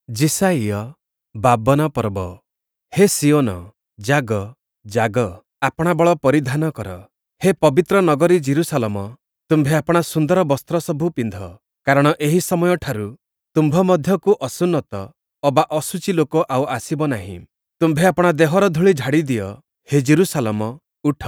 ଯିଶାଇୟ 52 ପର୍ବ। ହେ ସିୟୋନ, ଜାଗ, ଜାଗ, ଆପଣା ବଳ ପରିଧାନ କର। ହେ ପବିତ୍ର ନଗରୀ ଯିରୂଶାଲମ, ତୁମ୍ଭେ ଆପଣା ସୁନ୍ଦର ବସ୍ତ୍ରସବୁ ପିନ୍ଧ, କାରଣ ଏହି ସମୟଠାରୁ ତୁମ୍ଭ ମଧ୍ୟକୁ ଅସୁନ୍ନତ ଅବା ଅଶୁଚି ଲୋକ ଆଉ ଆସିବ ନାହିଁ। ତୁମ୍ଭେ ଆପଣା ଦେହର ଧୂଳି ଝାଡ଼ି ଦିଅ। ହେ ଯିରୂଶାଲମ, ଉଠ,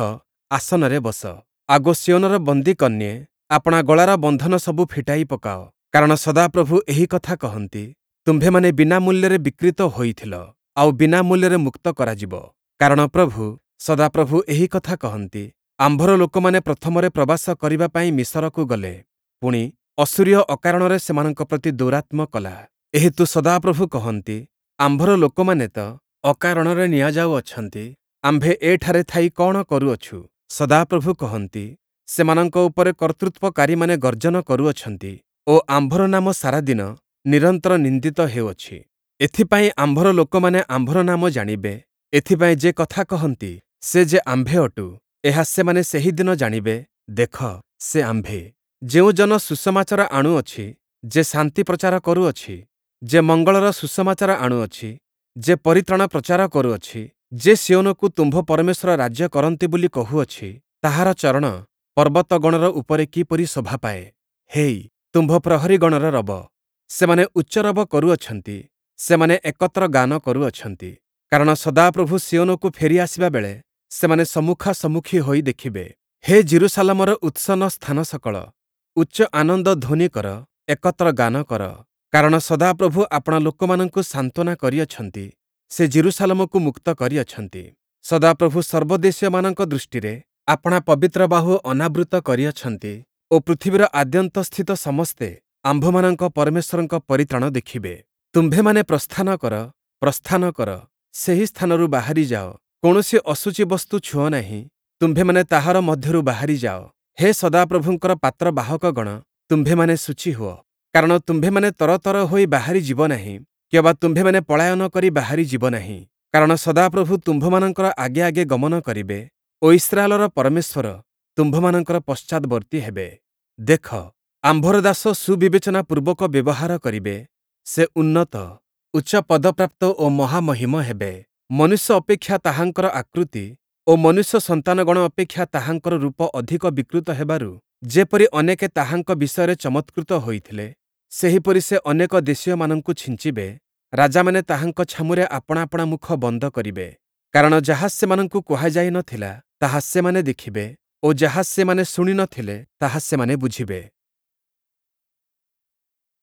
ଆସନରେ ବସ। ଆଗୋ ସିୟୋନର ବନ୍ଦୀକନ୍ୟେ, ଆପଣା ଗଳାର ବନ୍ଧନ ସବୁ ଫିଟାଇ ପକାଅ। କାରଣ ସଦାପ୍ରଭୁ ଏହି କଥା କହନ୍ତି, ତୁମ୍ଭେମାନେ ବିନା ମୂଲ୍ୟରେ ବିକ୍ରୀତ ହୋଇଥିଲ, ଆଉ ବିନା ମୂଲ୍ୟରେ ମୁକ୍ତ କରାଯିବ। କାରଣ ପ୍ରଭୁ, ସଦାପ୍ରଭୁ ଏହି କଥା କହନ୍ତି, ଆମ୍ଭର ଲୋକମାନେ ପ୍ରଥମରେ ପ୍ରବାସ କରିବା ପାଇଁ ମିଶରକୁ ଗଲେ, ପୁଣି, ଅଶୂରୀୟ ଅକାରଣରେ ସେମାନଙ୍କ ପ୍ରତି ଦୌରାତ୍ମ୍ୟ କଲା। ଏହେତୁ ସଦାପ୍ରଭୁ କହନ୍ତି, ଆମ୍ଭର ଲୋକମାନେ ତ ଅକାରଣରେ ନିଆଯାଉଅଛନ୍ତି, ଆମ୍ଭେ ଏଠାରେ ଥାଇ କଅଣ କରୁଅଛୁ? ସଦାପ୍ରଭୁ କହନ୍ତି, ସେମାନଙ୍କ ଉପରେ କର୍ତ୍ତୃତ୍ୱକାରୀମାନେ ଗର୍ଜନ କରୁଅଛନ୍ତି ଓ ଆମ୍ଭର ନାମ ସାରାଦିନ ନିରନ୍ତର ନିନ୍ଦିତ ହେଉଅଛି। ଏଥିପାଇଁ ଆମ୍ଭର ଲୋକମାନେ ଆମ୍ଭର ନାମ ଜାଣିବେ, ଏଥିପାଇଁ ଯେ କଥା କହନ୍ତି, ସେ ଯେ ଆମ୍ଭେ ଅଟୁ, ଏହା ସେମାନେ ସେହି ଦିନ ଜାଣିବେ, ଦେଖ, ସେ ଆମ୍ଭେ। ଯେଉଁ ଜନ ସୁସମାଚାର ଆଣୁଅଛି, ଯେ ଶାନ୍ତି ପ୍ରଚାର କରୁଅଛି, ଯେ ମଙ୍ଗଳର ସୁସମାଚାର ଆଣୁଅଛି, ଯେ ପରିତ୍ରାଣ ପ୍ରଚାର କରୁଅଛି, ଯେ ସିୟୋନକୁ ତୁମ୍ଭ ପରମେଶ୍ୱର ରାଜ୍ୟ କରନ୍ତି ବୋଲି କହୁଅଛି, ତାହାର ଚରଣ ପର୍ବତଗଣର ଉପରେ କିପରି ଶୋଭା ପାଏ! ହେଇ, ତୁମ୍ଭ ପ୍ରହରୀଗଣର ରବ! ସେମାନେ ଉଚ୍ଚରବ କରୁଅଛନ୍ତି, ସେମାନେ ଏକତ୍ର ଗାନ କରୁଅଛନ୍ତି। କାରଣ ସଦାପ୍ରଭୁ ସିୟୋନକୁ ଫେରି ଆସିବା ବେଳେ ସେମାନେ ସମ୍ମୁଖାସମ୍ମୁଖୀ ହୋଇ ଦେଖିବେ। ହେ ଯିରୂଶାଲମର ଉତ୍ସନ୍ନ ସ୍ଥାନସକଳ, ଉଚ୍ଚ ଆନନ୍ଦ ଧ୍ୱନି କର, ଏକତ୍ର ଗାନ କର। କାରଣ ସଦାପ୍ରଭୁ ଆପଣା ଲୋକମାନଙ୍କୁ ସାନ୍ତ୍ୱନା କରିଅଛନ୍ତି, ସେ ଯିରୂଶାଲମକୁ ମୁକ୍ତ କରିଅଛନ୍ତି। ସଦାପ୍ରଭୁ ସର୍ବଦେଶୀୟମାନଙ୍କ ଦୃଷ୍ଟିରେ ଆପଣା ପବିତ୍ର ବାହୁ ଅନାବୃତ କରିଅଛନ୍ତି ଓ ପୃଥିବୀର ଆଦ୍ୟନ୍ତସ୍ଥିତ ସମସ୍ତେ ଆମ୍ଭମାନଙ୍କ ପରମେଶ୍ୱରଙ୍କ ପରିତ୍ରାଣ ଦେଖିବେ। ତୁମ୍ଭେମାନେ ପ୍ରସ୍ଥାନ କର, ପ୍ରସ୍ଥାନ କର, ସେହି ସ୍ଥାନରୁ ବାହାରି ଯାଅ, କୌଣସି ଅଶୁଚି ବସ୍ତୁ ଛୁଅଁ ନାହିଁ, ତୁମ୍ଭେମାନେ ତାହାର ମଧ୍ୟରୁ ବାହାରି ଯାଅ। ହେ ସଦାପ୍ରଭୁଙ୍କର ପାତ୍ରବାହକଗଣ, ତୁମ୍ଭେମାନେ ଶୁଚି ହୁଅ, କାରଣ ତୁମ୍ଭେମାନେ ତରତର ହୋଇ ବାହାରି ଯିବ ନାହିଁ, କିଅବା ତୁମ୍ଭେମାନେ ପଳାୟନ କରି ବାହାରି ଯିବ ନାହିଁ। କାରଣ ସଦାପ୍ରଭୁ ତୁମ୍ଭମାନଙ୍କର ଆଗେ ଆଗେ ଗମନ କରିବେ ଓ ଇସ୍ରାଏଲର ପରମେଶ୍ୱର ତୁମ୍ଭମାନଙ୍କର ପଶ୍ଚାଦ୍‌ବର୍ତ୍ତୀ ହେବେ। ଦେଖ, ଆମ୍ଭର ଦାସ ସୁବିବେଚନା ପୂର୍ବକ ବ୍ୟବହାର କରିବେ, ସେ ଉନ୍ନତ, ଉଚ୍ଚ ପଦପ୍ରାପ୍ତ ଓ ମହାମହିମ ହେବେ। ମନୁଷ୍ୟ ଅପେକ୍ଷା ତାହାଙ୍କର ଆକୃତି ଓ ମନୁଷ୍ୟ ସନ୍ତାନଗଣ ଅପେକ୍ଷା ତାହାଙ୍କର ରୂପ ଅଧିକ ବିକୃତ ହେବାରୁ ଯେପରି ଅନେକେ ତାହାଙ୍କ ବିଷୟରେ ଚମତ୍କୃତ ହୋଇଥିଲେ, ସେହିପରି ସେ ଅନେକ ଦେଶୀୟମାନଙ୍କୁ ଛିଞ୍ଚିବେ, ରାଜାମାନେ ତାହାଙ୍କ ଛାମୁରେ ଆପଣା ଆପଣା ମୁଖ ବନ୍ଦ କରିବେ। କାରଣ ଯାହା ସେମାନଙ୍କୁ କୁହାଯାଇ ନ ଥିଲା, ତାହା ସେମାନେ ଦେଖିବେ ଓ ଯାହା ସେମାନେ ଶୁଣି ନ ଥିଲେ, ତାହା ସେମାନେ ବୁଝିବେ।